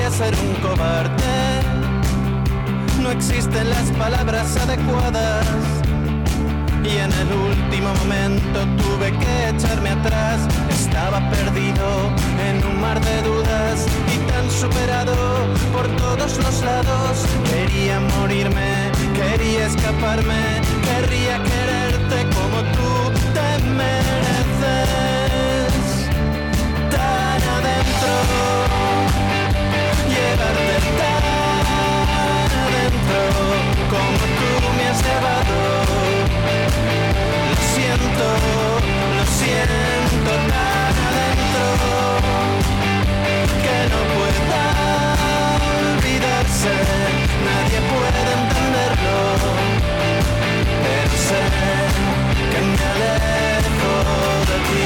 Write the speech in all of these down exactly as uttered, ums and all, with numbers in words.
quería ser un cobarde. No existen las palabras adecuadas y en el último momento tuve que echarme atrás. Estaba perdido en un mar de dudas y tan superado por todos los lados. Quería morirme, quería escaparme, querría quererte como tú te mereces. Tan adentro, llevarte tan adentro como tú me has llevado. Lo siento, lo siento tan adentro que no pueda olvidarse, nadie puede entenderlo, pero sé que me alejo de ti,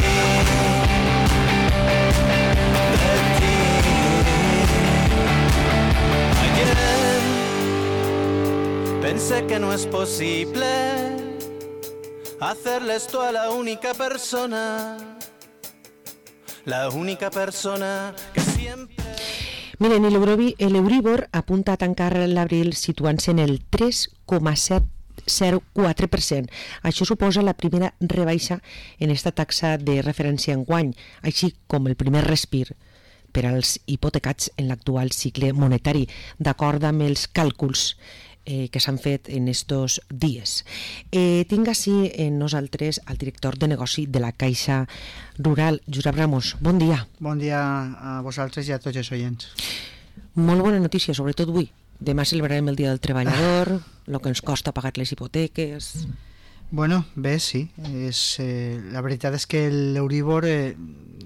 de ti. Ayer pensé que no es posible hacerle esto a la única persona, la única persona que siempre... Miren, l'Euribor apunta a tancar l'abril situant-se en el tres coma set zero quatre per cent. Això suposa la primera rebaixa en esta taxa de referència enguany, així com el primer respir per als hipotecats en l'actual cicle monetari, d'acord amb els càlculs Eh, que s'han fet en estos dies. Eh, tinc així en nosaltres el director de negoci de la Caixa Rural, Josep Ramos. Bon dia. Bon dia a vosaltres i a tots els oients. Molt bona notícia, sobretot avui. Demà celebrarem el Dia del Treballador, el que ens costa pagar les hipoteques... Bueno, bé, sí. És, eh, la veritat és que l'Euribor, eh,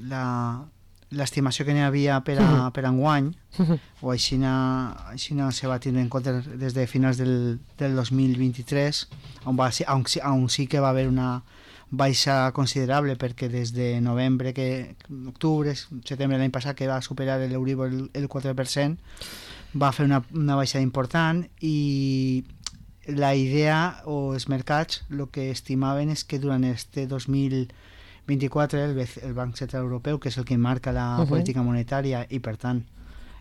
la... l'estimació que n'hi havia per, a, per enguany, o així, així se va tindre en compte des de finals del, del dos mil vint-i-tres, on, va, on, on sí que va haver una baixa considerable, perquè des de novembre, que octubre, setembre l'any passat, que va superar l'Euribor el, el quatre per cent, va fer una, una baixada important, i la idea o els mercats el que estimaven és que durant este dos mil vint-i-quatre el, el Banc Central Europeu, que és el que marca la uh-huh. política monetària i per tant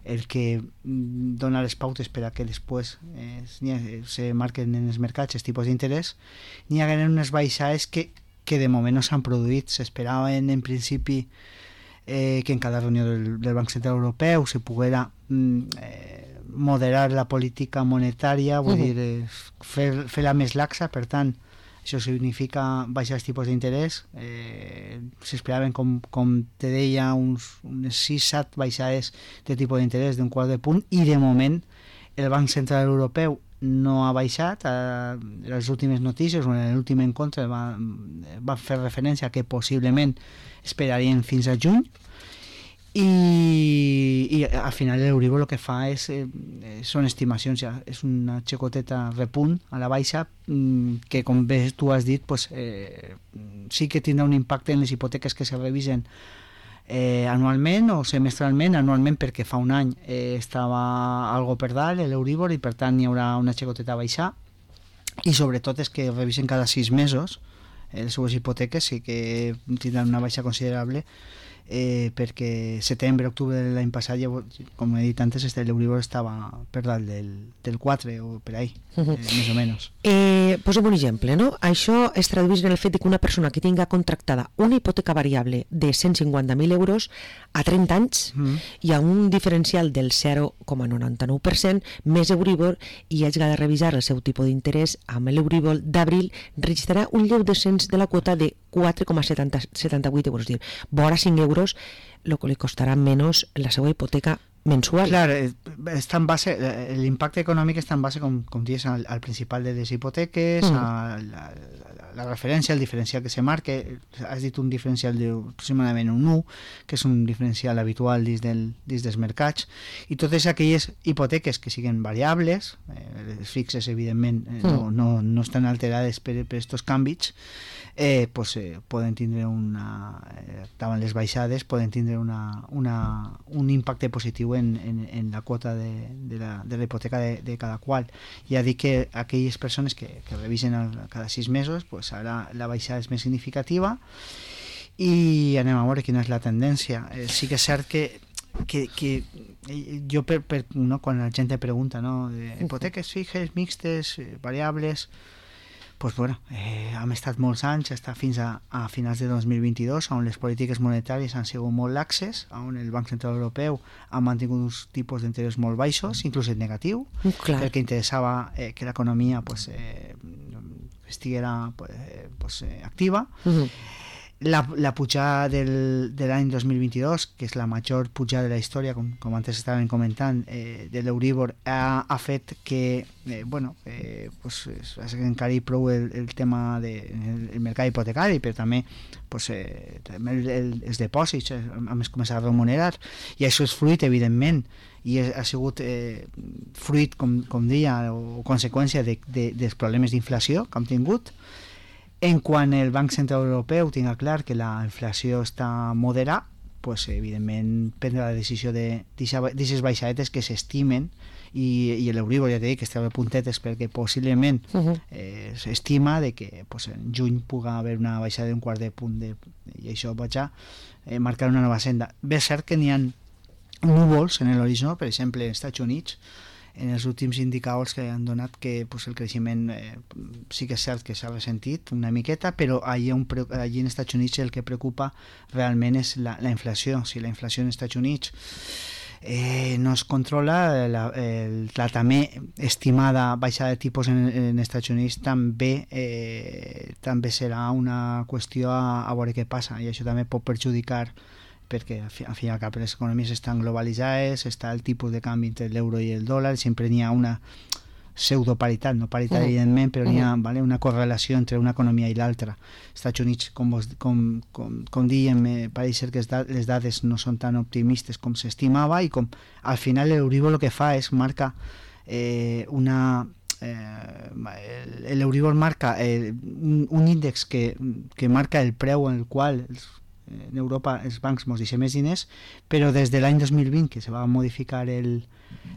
el que dona les pautes per a que després eh, se marquen en els mercats els tipus d'interès, n'hi ha unes baixades que, que de moment no s'han produït. S'esperaven en principi eh, que en cada reunió del, del Banc Central Europeu se poguera eh, moderar la política monetària, vull uh-huh. dir, eh, fer, fer-la més laxa, per tant això significa baixar els tipus d'interès. Eh, s'esperaven, com, com te deia, uns, unes sis set baixades de tipus d'interès d'un quart de punt, i de moment el Banc Central Europeu no ha baixat. A les últimes notícies, o en l'últim encontre, va, va fer referència a que possiblement esperarien fins a juny, i, i al final l'Euribor el que fa és, eh, són estimacions, ja és una xicoteta repunt a la baixa, que com bé tu has dit, pues, eh, sí que tindrà un impacte en les hipoteques que se revisen eh, anualment o semestralment. Anualment perquè fa un any eh, estava algo per dalt l'Euribor, i per tant hi haurà una xicoteta a baixar, i sobretot és que revisen cada sis mesos eh, les seues hipoteques, sí que tindran una baixa considerable. Eh, perquè setembre, octubre de l'any passat, ja, com he dit antes, l'Euribor estava per dalt del, del quatre o per ahí, uh-huh. eh, més o menys. Eh, posem un exemple, no? Això es tradueix en el fet que una persona que tinga contractada una hipoteca variable de cent cinquanta mil euros a trenta anys uh-huh. i a un diferencial del zero coma noranta-nou per cent més Euribor, i hagi de revisar el seu tipus d'interès amb l'Euribor d'abril, registrarà un lleu descens de la quota de quatre coma setanta-vuit euros, dir, vora cinc euros, el que li costarà menys la seva hipoteca mensual. Clar, està en base, l'impacte econòmic està en base, com, com dius, al, al principal de les hipoteques, mm. a la, la, la referència, el diferencial que se marca. Has dit un diferencial d'aproximadament un u, que és un diferencial habitual dins, del, dins dels mercats, i totes aquelles hipoteques que siguen variables, eh, les fixes evidentment eh, mm. no, no, no estan alterades per, per estos canvis, eh, pues, eh, poden tindre una, eh, davant les baixades, poden tindre una, una, un impacte positiu en, en, en la quota de, de, la, de la hipoteca de, de cada qual. Ja dic que aquelles persones que, que revisen el, cada sis mesos, pues ara la baixada és més significativa, i anem a veure quina és la tendència. Eh, sí que és cert que, que, que jo, per, per, no, quan la gent te pregunta, no, de hipoteques fixes, mixtes, eh, variables, pues bueno, eh, hem estat molts anys, hasta fins a, a finals de dos mil vint-i-dos, on les polítiques monetàries han sigut molt laxes, on el Banc Central Europeu ha mantingut uns tipus d'interès molt baixos, inclús en negatiu, Clar. perquè interessava eh, que l'economia pues, eh, estiguera pues, eh, pues, eh, activa. Uh-huh. La, la pujada del, de l'any dos mil vint-i-dos, que és la major pujada de la història, com, com antes estaven comentant, eh, de l'Euríbor, ha, ha fet que, eh, bueno, eh, pues, encari prou el, el tema del de, el mercat hipotecari, però també, pues, eh, també el, el, els depòsits eh, han començat a remunerar, i això és fruit, evidentment, i ha sigut eh, fruit, com, com deia, o conseqüència de, de, dels problemes d'inflació que hem tingut. En quan el Banc Central Europeu tinga clar que la inflació està moderada, pues, evidentment prendrà la decisió de d'aquestes baixadetes que s'estimen, i, i l'Euríbor, ja t'he dit, que estava a puntetes perquè possiblement uh-huh. eh, s'estima de que pues, en juny puga haver una baixada d'un quart de punt de, i això vaig a eh, marcar una nova senda. Bé, és cert que n'hi ha núvols en l'horitzó, per exemple, als Estats Units, en els últims indicadors que han donat que pues, el creixement eh, sí que és cert que s'ha ressentit una miqueta, però allí, un, allí en Estats Units el que preocupa realment és la, la inflació. Si la inflació en Estats Units eh, no es controla, la, el, la també estimada baixada de tipus en, en Estats Units també, eh, també serà una qüestió a, a veure què passa, i això també pot perjudicar, perquè al fi i al cap les economies estan globalitzades, està el tipus de canvi entre l'euro i el dòlar, sempre n'hi ha una pseudoparitat, no paritat uh-huh. evidentment, però n'hi ha uh-huh. vale, una correlació entre una economia i l'altra. Els Estats Units, com, vos, com, com, com diem, eh, pareix ser que les dades no són tan optimistes com s'estimava, i com al final l'Euríbor el que fa és marca eh, una... Eh, l'Euríbor marca eh, un, un índex que, que marca el preu en el qual els en Europa els bancs ens deixen més diners, però des de l'any dos mil vint, que se va modificar el,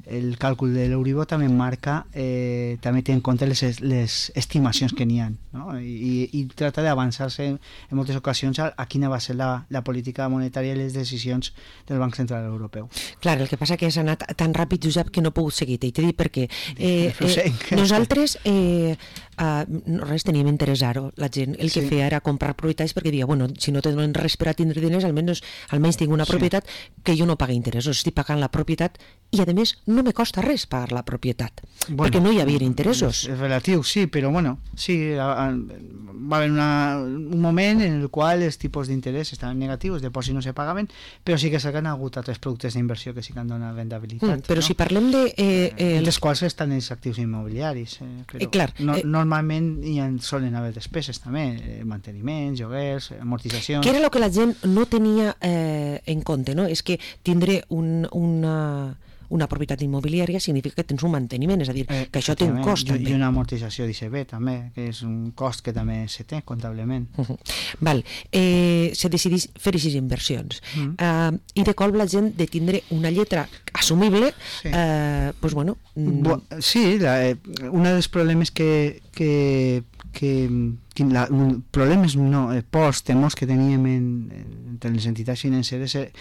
el càlcul de l'Euríbor, també marca, eh, també té en compte les, les estimacions que n'hi ha, no? I, i trata d'avançar-se en, en moltes ocasions a, a quina va ser la, la política monetària i les decisions del Banc Central Europeu. Clar, el que passa que has anat tan ràpid, Josep, que no he pogut seguir, i t'he dit perquè eh, eh, nosaltres eh, Uh, res, teníem interès ara, la gent el que sí. feia era comprar propietats perquè dia, bueno, si no tenen res per a tindre diners, almenys, almenys tinc una sí. propietat que jo no pagui interessos, estic pagant la propietat i a més no me costa res pagar la propietat, bueno, perquè no hi havia interessos. És, és relatiu, sí, però bueno, sí, a, a, va haver una, un moment en el qual els tipus d'interès estaven negatius, de dipòsits no se pagaven, però sí que s'han hagut altres productes d'inversió que sí que han donat rendibilitat. Mm, però no? si parlem de... Eh, eh, entre els quals estan els actius immobiliaris, eh, però eh, clar, no, eh, normalment hi ha, solen haver despeses també, eh, manteniments, lloguers, amortitzacions... Que era el que la gent no tenia eh, en compte, no? És que tindré un, una... una propietat immobiliària significa que tens un manteniment, és a dir, eh, que això té un cost. I, també. I una amortització d'I C B també, que és un cost que també se té comptablement. Uh -huh. Val. Eh, se decideix fer aquestes inversions. Uh -huh. uh, I de cop la gent de tindre una lletra assumible, sí, eh, pues bueno... Bo, sí, la, eh, un dels problemes que... que que, que la, problemes no, eh, pors, temors que teníem en, entre les entitats financeres eh,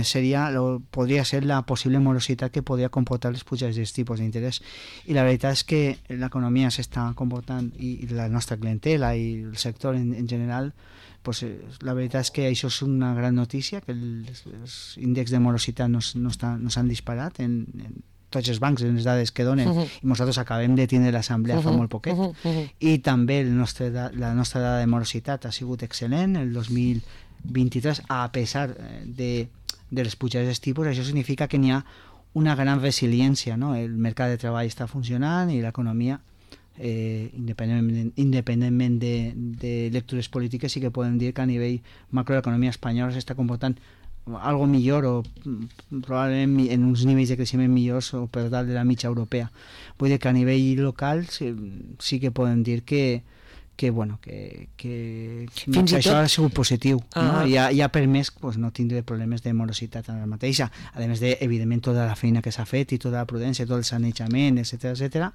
seria, lo, podria ser la possible morositat que podria comportar les pujades dels tipus d'interès, i la veritat és que l'economia s'està comportant, i, i la nostra clientela i el sector en, en general, pues, eh, la veritat és que això és una gran notícia, que els, els índexs de morositat no, no, està, no s'han disparat en, en tots els bancs, en les dades que donen, uh-huh. i nosaltres acabem de tindre l'assemblea uh-huh. fa molt poquet, uh-huh. Uh-huh. i també el nostre, la nostra dada de morositat ha sigut excel·lent el dos mil vint-i-tres, a pesar de, de les pujades dels tipus. Això significa que n'hi ha una gran resiliència, no? El mercat de treball està funcionant i l'economia, eh, independentment, independentment de, de lectures polítiques, sí que podem dir que a nivell macro l'economia espanyola s'està comportant algo millor, o probablement en uns nivells de creixement millors o per dalt de la mitja europea. Vull dir que a nivell local sí, sí que podem dir que, que, bueno, que, que, Fins que i això tot... ha sigut positiu, Ah. no? I ha, i ha permès pues, no tindre problemes de morositat en la mateixa, a més de, evidentment, tota la feina que s'ha fet i tota la prudència, tot el sanejament, etcètera, etcètera.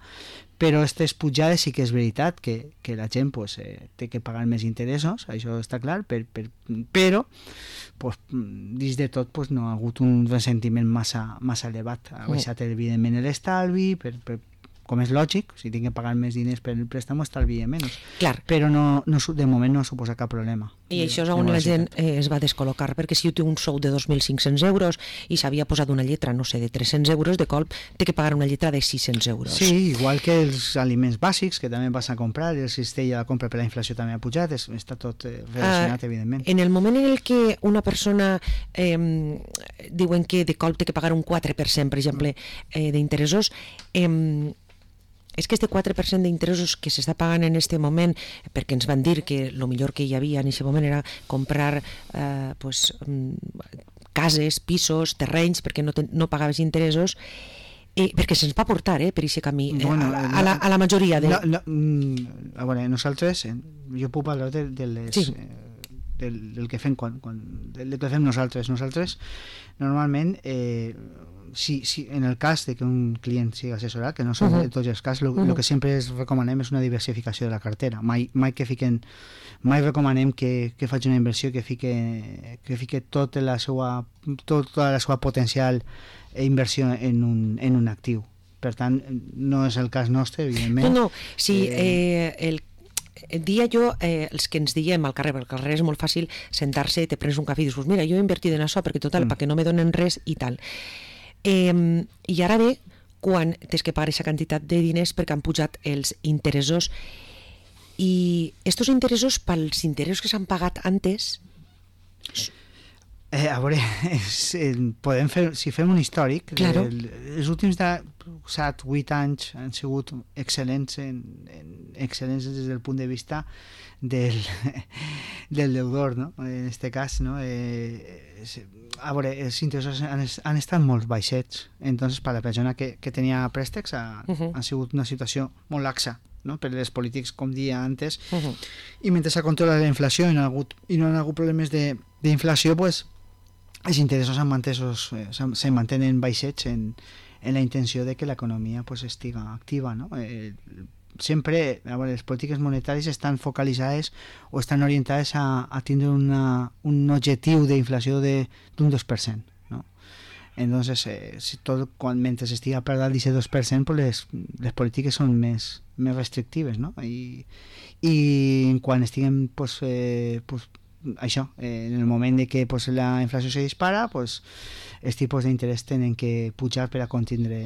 Però aquestes pujades sí que és veritat que, que la gent pues, eh, té que pagar més interessos, això està clar, per, per, però pues, dins de tot pues, no ha hagut un ressentiment massa, massa elevat. Ha baixat, evidentment, l'estalvi, per, per com és lògic, si tinc que pagar més diners per el préstamo, estalvia menys. Clar. Però no, no, de moment no suposa cap problema. I això és on la gent eh, es va descol·locar, perquè si jo tinc un sou de dos mil cinc-cents euros i s'havia posat una lletra, no sé, de tres-cents euros, de colp té que pagar una lletra de sis-cents euros. Sí, igual que els aliments bàsics, que també vas a comprar, el cistell de la compra per la inflació també ha pujat, és, està tot eh, relacionat, uh, evidentment. En el moment en el que una persona eh, diuen que de colp té que pagar un quatre per cent, per exemple, eh, d'interessos, eh, és que este quatre per cent d'interessos que s'està pagant en este moment, perquè ens van dir que el millor que hi havia en aquest moment era comprar eh, pues, cases, pisos, terrenys, perquè no, ten, no pagaves interessos, eh, perquè se'ns va portar eh, per aquest camí, eh, bueno, a, a, la, a la majoria de... No, no, a veure, nosaltres, jo puc parlar de, de les... Sí. Eh, del, del que fem quan, quan, del que fem nosaltres. Nosaltres, normalment, eh, si, si, en el cas de que un client sigui assessorat, que no són uh-huh. tots els casos, el uh-huh. que sempre es recomanem és una diversificació de la cartera. Mai, mai que fiquen, mai recomanem que, que faci una inversió que fique, que fique tota la seva, tota la seva potencial inversió en un, en un actiu. Per tant, no és el cas nostre, evidentment. No, no, si eh, el dia jo, eh, els que ens diem al carrer, perquè al carrer és molt fàcil sentar-se, te prens un cafè i dius, mira, jo he invertit en això perquè total, mm. perquè no me donen res i tal. Eh, I ara ve quan tens que pagar aquesta quantitat de diners perquè han pujat els interessos, i estos interessos, pels interessos que s'han pagat antes... Eh, a veure, és, eh, podem fer, si fem un històric, claro. el, els últims set vuit anys han sigut excel·lents, en, en, excel·lents des del punt de vista del, del deudor, no? En aquest cas, no? Eh, a veure, els interessos han, han estat molt baixets, entonces per la persona que, que tenia préstecs ha, uh-huh. ha sigut una situació molt laxa, no? Per les polítics, com dia antes, uh-huh. i mentre s'ha controlat la inflació i no ha hagut, i no han hagut problemes d'inflació, pues, els interessos s'han mantesos, eh, se mantenen baixets en, en la intenció de que l'economia pues, estiga activa, no? Eh, sempre, a veure, les polítiques monetàries estan focalitzades o estan orientades a, a tindre una, un objectiu d'inflació d'un dos per cent, no? Entonces, eh, si tot, quan, mentre estiga per dalt d'aquest dos per cent, pues les, les polítiques són més, més restrictives, no? I, i quan estiguen pues, eh, pues, això, eh, en el moment de que pues, la inflació se dispara, pues, els tipus d'interès tenen que pujar per a contindre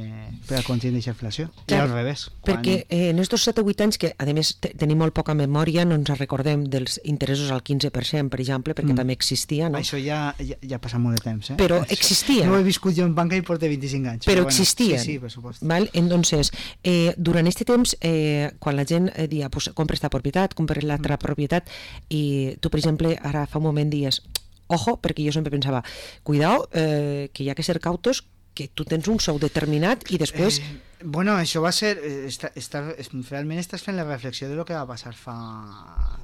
per a contindre aquesta inflació. Clar, i al revés. Perquè quan... eh, en estos set o vuit anys, que a més tenim molt poca memòria, no ens recordem dels interessos al quinze per cent, per exemple, perquè mm. també existia, no? Això ja, ja, ja passa molt de temps, eh? Però existia. No he viscut jo en banca i porto vint-i-cinc anys. Però, però bueno, existien. Sí, sí, per supost. Val? Entonces, eh, durant aquest temps, eh, quan la gent eh, dia, pues, compra esta propietat, compra l'altra mm. propietat, i tu, per exemple, ara fa un moment dies, ojo, perquè jo sempre pensava, cuidao, eh, que hi ha que ser cautos, que tu tens un sou determinat i després... Eh, bueno, això va ser... Eh, està, està, realment estàs fent la reflexió de lo que va passar fa...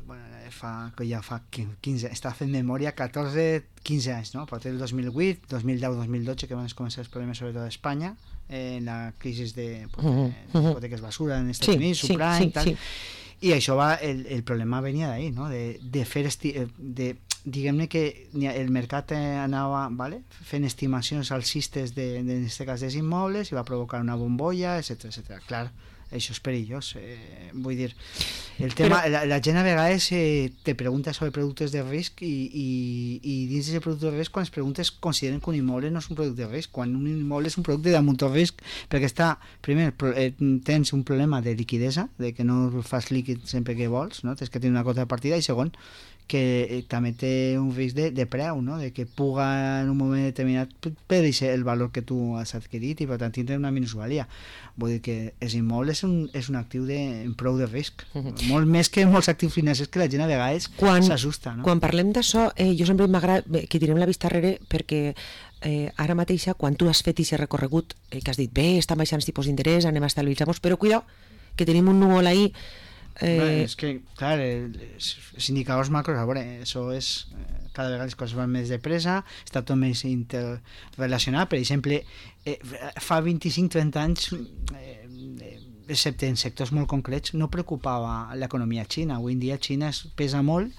Bueno, fa que ja fa quinze... Està fent memòria catorze quinze anys, no? A partir del dos mil vuit, dos mil deu, dos mil dotze, que van començar els problemes sobretot a Espanya, eh, en la crisi de, pues, de hipoteques basura en Estats sí, Units, sí, subprime, sí, tal... Sí. I això va... El, el problema venia d'ahí, no? De, de fer... Esti, de, diguem-ne que el mercat anava vale, fent estimacions alcistes de, de, en aquest cas dels immobles i va provocar una bombolla, etcètera, etcètera. Clar, això és perillós. Eh, vull dir, el tema, Però... la, la gent a vegades eh, te pregunta sobre productes de risc i, i, i dins d'aquest producte de risc, quan es preguntes, consideren que un immoble no és un producte de risc, quan un immoble és un producte de molt risc, perquè està, primer, eh, tens un problema de liquidesa, de que no fas líquid sempre que vols, no? Tens que tenir una cota de partida, i segon, que també té un risc de, de preu, no? De que puga en un moment determinat perdre el valor que tu has adquirit i per tant tindre una minusvalia. Vull dir que els immobles és un, és un actiu de, en prou de risc, uh-huh. molt més que molts actius financers que la gent a vegades s'assusta. No? Quan parlem d'això, eh, jo sempre m'agrada que tirem la vista darrere perquè eh, ara mateixa, quan tu has fet aquest recorregut, eh, que has dit, bé, estan baixant els tipus d'interès, anem a estabilitzar-nos, però cuidao, que tenim un núvol ahí Eh... Bueno, és que, clar, els, els indicadors macros, a veure, això és... Eh, cada vegada les coses van més de pressa, està tot més interrelacionat. Per exemple, eh, fa vint-i-cinc trenta anys, eh, excepte en sectors molt concrets, no preocupava l'economia xina. Avui en dia Xina es pesa molt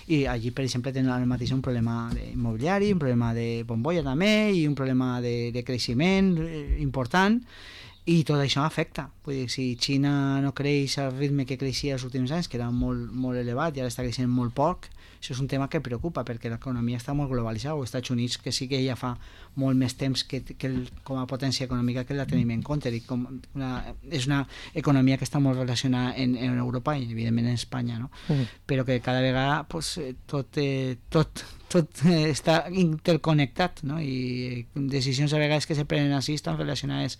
i allí, per exemple, tenen al mateix un problema immobiliari, un problema de bombolla també i un problema de, de creixement important, i tot això afecta. Vull dir, si Xina no creix al ritme que creixia els últims anys, que era molt, molt elevat i ara està creixent molt poc, això és un tema que preocupa perquè l'economia està molt globalitzada. Els Estats Units, que sí que ja fa molt més temps que, que el, com a potència econòmica que la tenim en compte, i com una, és una economia que està molt relacionada en, en Europa i evidentment en Espanya, no? Mm. Però que cada vegada pues, tot, eh, tot, tot eh, està interconnectat, no? I decisions a vegades que se prenen així estan relacionades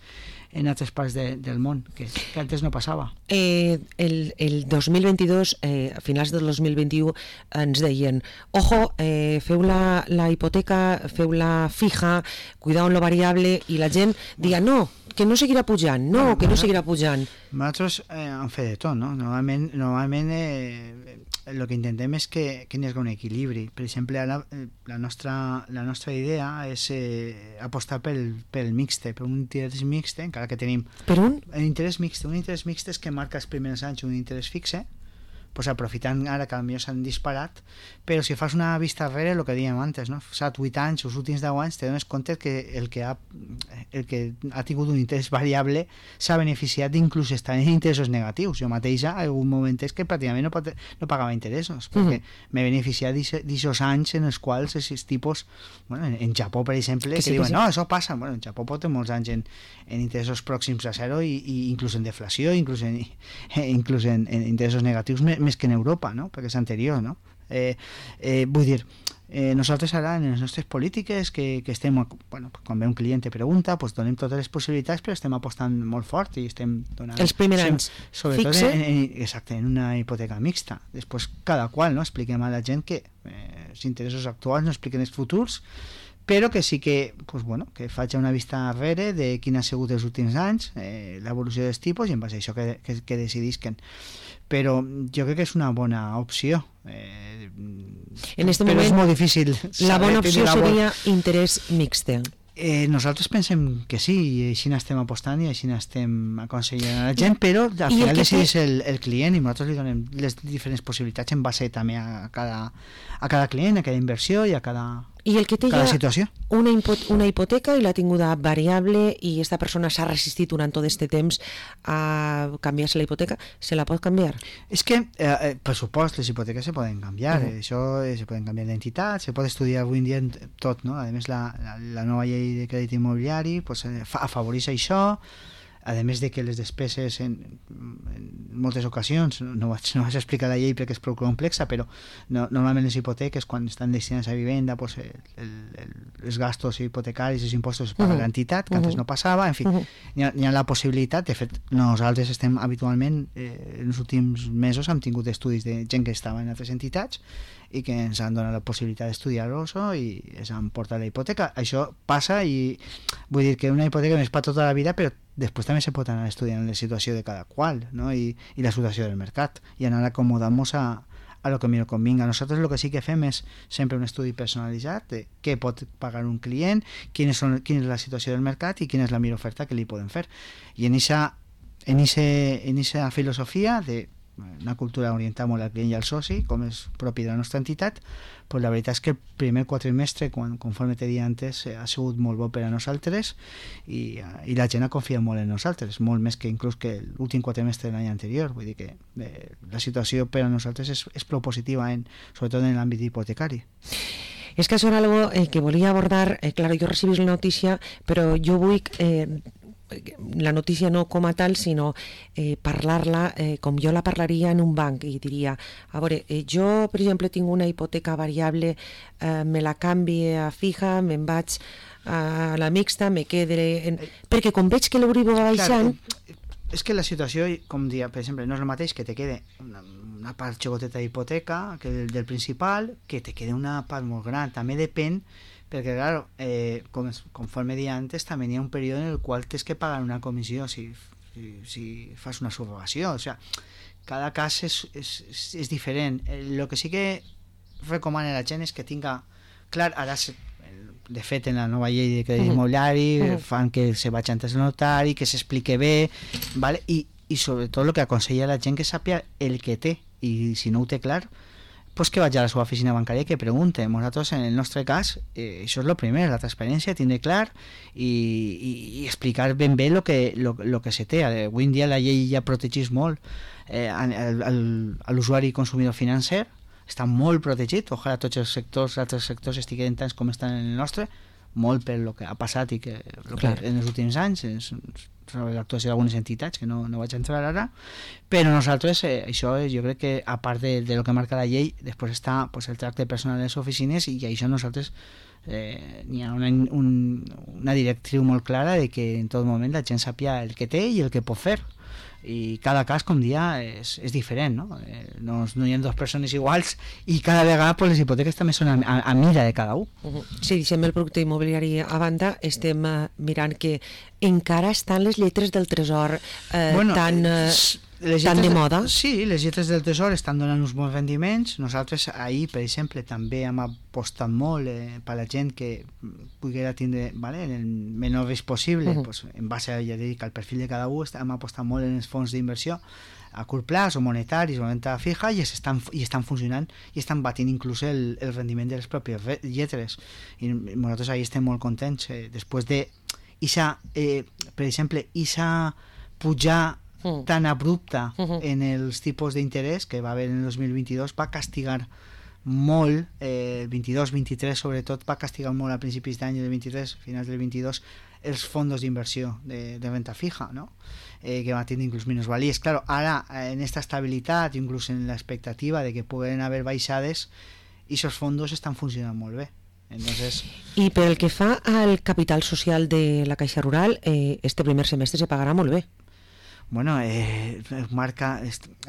en altres parts de, del món, que, que antes no passava. Eh, el, el dos mil vint-i-dos, eh, a finals del dos mil vint-i-u, ens deien, ojo, eh, feu la, la hipoteca, feu la fija, cuidao en lo variable, i la gent dia, no, que no seguirà pujant, no, que no seguirà pujant. Nosaltres eh, hem fet de tot, no? Normalment, normalment eh, el que intentem és que, que hi hagi un equilibri. Per exemple, ara, la, nostra, la nostra idea és eh, apostar pel, pel mixte, per un interès mixte, encara que tenim... Per un? Un interès mixte. Un interès mixte és que marca els primers anys un interès fixe, pues aprofitant ara que potser s'han disparat, però si fas una vista darrere, el que dèiem antes, no? set vuit anys, els últims deu anys, te dones compte que el que ha, el que ha tingut un interès variable s'ha beneficiat d'inclús estar en interessos negatius. Jo mateixa, en algun moment és que pràcticament no, pot, no pagava interessos, perquè mm. m'he beneficiat d'aquests anys en els quals aquests tipus, bueno, en, en Japó, per exemple, que, que sí, diuen, que sí. No, això passa. Bueno, en Japó pot tenir molts anys en, en interessos pròxims a zero i, i inclús en deflació, inclús en, inclús en, en interessos negatius més, més que en Europa, no? Perquè és anterior, no? Eh, eh, vull dir, eh, nosaltres ara en les nostres polítiques que, que estem, bueno, quan ve un client te pregunta, pues donem totes les possibilitats, però estem apostant molt fort i estem donant... Els primers anys sobretot fixe? En, en, exacte, en una hipoteca mixta. Després, cada qual, no? Expliquem a la gent que eh, els interessos actuals no expliquen els futurs, però que sí que, pues bueno, que faig una vista darrere de quin ha sigut els últims anys, eh, l'evolució dels tipus, i en base a això que, que, que decidisquen. Però jo crec que és una bona opció. Eh, en este però moment, és molt difícil. La bona opció la seria bo... interès mixte. Eh, nosaltres pensem que sí, i així n'estem apostant i així n'estem aconsellant a la gent, però al final decideix té... el, el client i nosaltres li donem les diferents possibilitats en base també a cada, a cada client, a cada inversió i a cada... I el que té cada ja situació. Una, una hipoteca i l'ha tinguda variable i aquesta persona s'ha resistit durant tot aquest temps a canviar-se la hipoteca, se la pot canviar? És que, eh, per supost, les hipoteques se poden canviar, uh-huh. això eh, se poden canviar d'entitat, se pot estudiar avui en dia tot, no? A més, la, la, la nova llei de crèdit immobiliari pues, afavoreix això, a més de que les despeses en, en moltes ocasions, no vaig, no vaig explicar la llei perquè és prou complexa, però no, normalment les hipoteques quan estan destinades a vivenda pues, el, el, els gastos hipotecaris, els impostos es paga uh-huh. l'entitat, que uh-huh. antes no passava, en fi, uh-huh. hi, ha, hi ha la possibilitat, de fet nosaltres estem habitualment eh, en els últims mesos hem tingut estudis de gent que estava en altres entitats i que ens han donat la possibilitat d'estudiar-los i ens han portat la hipoteca. Això passa i vull dir que una hipoteca no és per tota la vida, però després també se pot anar estudiant la situació de cada qual, no? I, i la situació del mercat i anar acomodant-nos a, a lo que millor convinga. Nosaltres el que sí que fem és sempre un estudi personalitzat de què pot pagar un client, quina és, quina és la situació del mercat i quina és la millor oferta que li podem fer. I en aquesta en en filosofia de una cultura orientada molt al client i al soci, com és propi de la nostra entitat, però la veritat és que el primer quatrimestre, quan, conforme te dia antes, ha sigut molt bo per a nosaltres i, i la gent ha confiat molt en nosaltres, molt més que inclús que l'últim quatrimestre de l'any anterior. Vull dir que eh, la situació per a nosaltres és, és prou positiva, en, sobretot en l'àmbit hipotecari. És que això era algo eh, que volia abordar, eh, claro, jo recibís la notícia, però jo vull... Eh, la notícia no com a tal, sinó eh, parlar-la eh, com jo la parlaria en un banc i diria, a veure, eh, jo per exemple tinc una hipoteca variable, eh, me la canvi a fija, me'n vaig a la mixta, me quedaré en... perquè com veig que l'Euribor va baixant... Clar, és que la situació, com dia, per exemple, no és el mateix que te quede una, una part xicoteta d'hipoteca que del, del principal, que te quede una part molt gran, també depèn perquè, clar, eh, com, conforme dia antes, també hi ha un període en el qual tens que pagar una comissió si, si, si fas una subrogació. O sigui, cada cas és, és, és diferent. El que sí que recomana la gent és que tinga clar, ara de fet en la nova llei de crèdit immobiliari uh-huh. fan que se vagi antes al notari, que s'explique bé, ¿vale? i, i sobretot el que aconsella la gent que sàpia el que té, i si no ho té clar pues que vagi a la seva oficina bancària i que pregunte. Nosaltres en el nostre cas eh, això és el primer, la transparència, tindre clar i, i, i explicar ben bé el que, lo, lo que se té. Avui en dia la llei ja protegeix molt eh, a l'usuari consumidor financer, està molt protegit, ojalà tots els sectors, altres sectors estiguen tants com estan en el nostre, molt per el que ha passat i que, que en els últims anys és, sobre l'actuació d'algunes entitats que no, no vaig entrar ara, però nosaltres eh, això jo crec que a part de, de lo que marca la llei, després està pues, el tracte personal de les oficines i això nosaltres eh, n'hi ha una, un, una directriu molt clara de que en tot moment la gent sàpia el que té i el que pot fer, i cada cas, com dia, és, és diferent, no? Eh, no, no hi ha dues persones iguals i cada vegada pues, les hipoteques també són a, a, a mira de cada un. Uh-huh. Si deixem el producte immobiliari a banda, estem uh, mirant que encara estan les lletres del tresor eh, bueno, tan, eh, tan de moda. Sí, les lletres del tresor estan donant uns bons rendiments. Nosaltres ahir, per exemple, també hem apostat molt eh, per la gent que poguera tindre, vale, en el menor risc possible, uh-huh. pues, en base a, ja dic, al perfil de cada un, hem apostat molt en els fons d'inversió a curt plaç o monetaris o renta fija i estan, i estan funcionant i estan batint inclús el, el rendiment de les pròpies lletres, i nosaltres ahir estem molt contents eh, després de isa, eh, per exemple, isa pujar mm. tan abrupta mm-hmm. en els tipus d'interès que va haver en el dos mil vint-i-dos va castigar molt, eh, el vint-i-dos vint-i-tres sobretot, va castigar molt a principis d'any del vint-i-tres, finals del vint-i-dos, els fondos d'inversió de, de renta fija, no? eh, que va tindre inclús minusvalies. Claro, ara, en esta estabilitat, inclús en l'expectativa de que puguen haver baixades, i aquests fondos estan funcionant molt bé. Entonces... I pel que fa al capital social de la Caixa Rural, eh, este primer semestre se pagarà molt bé. Bueno, eh, marca,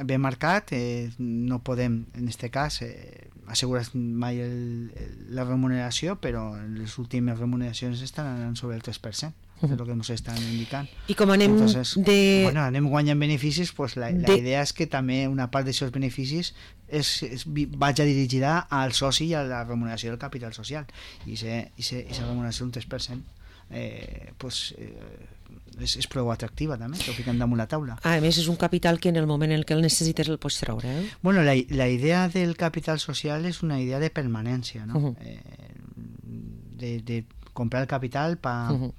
ben marcat, eh, no podem, en este cas, eh, assegurar mai el, el, la remuneració, però les últimes remuneracions estan anant sobre el tres per cent, és el que ens estan indicant. I com anem Entonces, de... Bueno, anem guanyant beneficis, pues la, de... la idea és que també una part d'aquests beneficis és, és, vagi dirigida al soci i a la remuneració del capital social. I aquesta remuneració un tres per cent eh, pues, eh, és, és prou atractiva també, que ho fiquem damunt la taula. A més, és un capital que en el moment en què el necessites el pots treure. Eh? Bueno, la, la idea del capital social és una idea de permanència, no? Uh-huh. eh, de, de comprar el capital per uh-huh.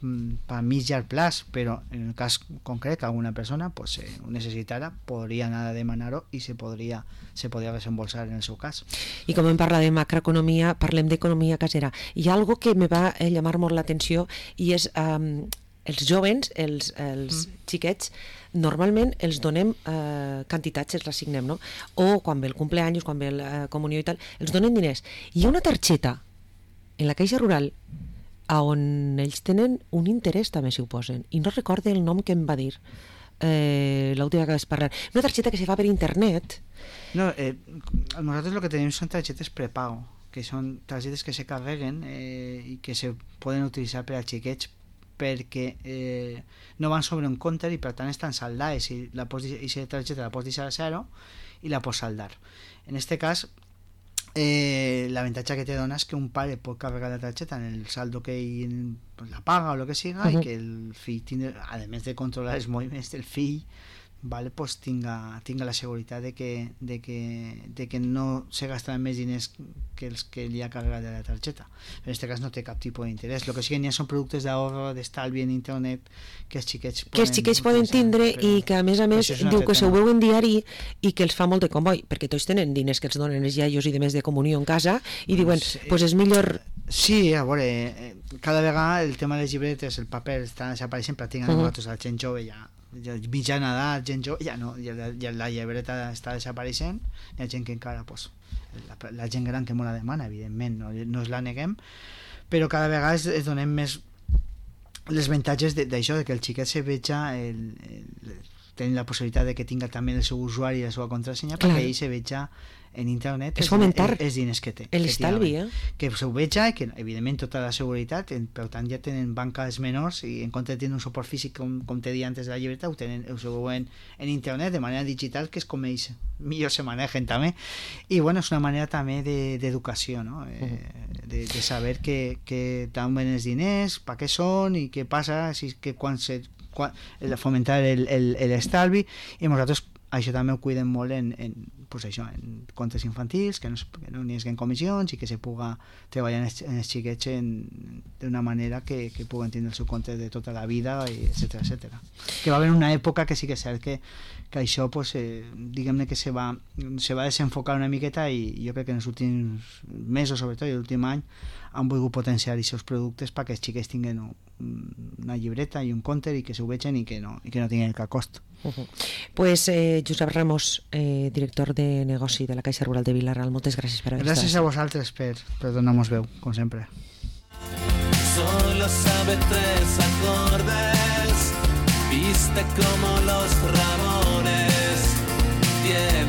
pa mig llarg plaç, però en el cas concret que alguna persona pues, eh, ho necessitara, podria anar a demanar-ho i se podria, se podria desembolsar en el seu cas. I com hem parlat de macroeconomia, parlem d'economia casera. Hi ha algo que me va eh, llamar molt l'atenció i és um, els jovens, els, els mm. xiquets, normalment els donem eh, quantitats, els assignem, no? O quan ve el cumpleaños, quan ve la eh, comunió i tal, els donen diners. Hi ha una targeta en la Caixa Rural on ells tenen un interès també si ho posen, i no recorde el nom que em va dir eh, l'última que vas parlar, una targeta que se fa per internet. No, eh, nosaltres el que tenim són targetes prepago, que són targetes que se carreguen eh, i que se poden utilitzar per a xiquets perquè eh, no van sobre un compte i per tant estan saldades i la targeta la pots deixar a zero i la pots saldar. En este cas Eh, l'avantatge que te dona és que un pare pot carregar la targeta en el saldo que ell pues, la paga o el que siga uh-huh. i que el fill, tindre, a més de controlar els moviments del fill, vale, pues, tinga, tinga la seguretat de que, de, que, de que no se gastaran més diners que els que li ha carregat de la targeta. En aquest cas no té cap tipus d'interès. El que sí que n'hi ha són productes d'ahorro, d'estalvi en internet que els xiquets poden, que els xiquets poden tindre però, i que a més a més diu que se ho veu en diari i que els fa molt de comboi, perquè tots tenen diners que els donen els iaios i de més de comunió en casa i diuen, doncs pues és millor... Sí, a veure, cada vegada el tema de les llibretes, el paper està desapareixent pràcticament uh-huh. nosaltres, la gent jove ja mitjana edat, gent jove, ja no, ja la, ja la llibreta està desapareixent, hi ha gent que encara, pues, la, la gent gran que molt la demana, evidentment, no, no es la neguem, però cada vegada es, es donem més les avantatges d'això, de que el xiquet se veja el, el, tenir la possibilitat de que tinga també el seu usuari i la seva contrasenya, perquè ell se veja en internet és fomentar els diners que té. l'estalvi, eh? Que s'ho veja i que, evidentment, tota la seguretat, per tant, ja tenen banques menors i en compte de tenir un suport físic, com, com te deia antes de la llibreta, ho tenen, ho veuen en internet de manera digital, que és com ells millor se manegen també. I, bueno, és una manera també d'educació, no? Eh, de, de saber que, que tant ven els diners, per què són i què passa, si, que quan se... Quan, fomentar l'estalvi, i nosaltres això també ho cuidem molt en, en, pues això, en comptes infantils, que no, que no n'hi hagi comissions i que se puga treballar en els, en els xiquets d'una manera que, que puguen tindre el seu compte de tota la vida, etcètera, etcètera. Que va haver una època que sí que és cert que, que això, pues, eh, diguem-ne que se va, se va desenfocar una miqueta, i jo crec que en els últims mesos, sobretot, i l'últim any, han volgut potenciar els seus productes perquè els xiquets tinguin una llibreta i un compte i que s'ho vegin i que no, i que no tinguin cap cost. Uh-huh. Pues eh, Josep Ramos, eh, director de negoci de la Caixa Rural de Vilaral, moltes gràcies per haver estat. Gràcies a vosaltres per, per donar-nos veu, com sempre. Solo sabe tres acordes, viste como los ramones.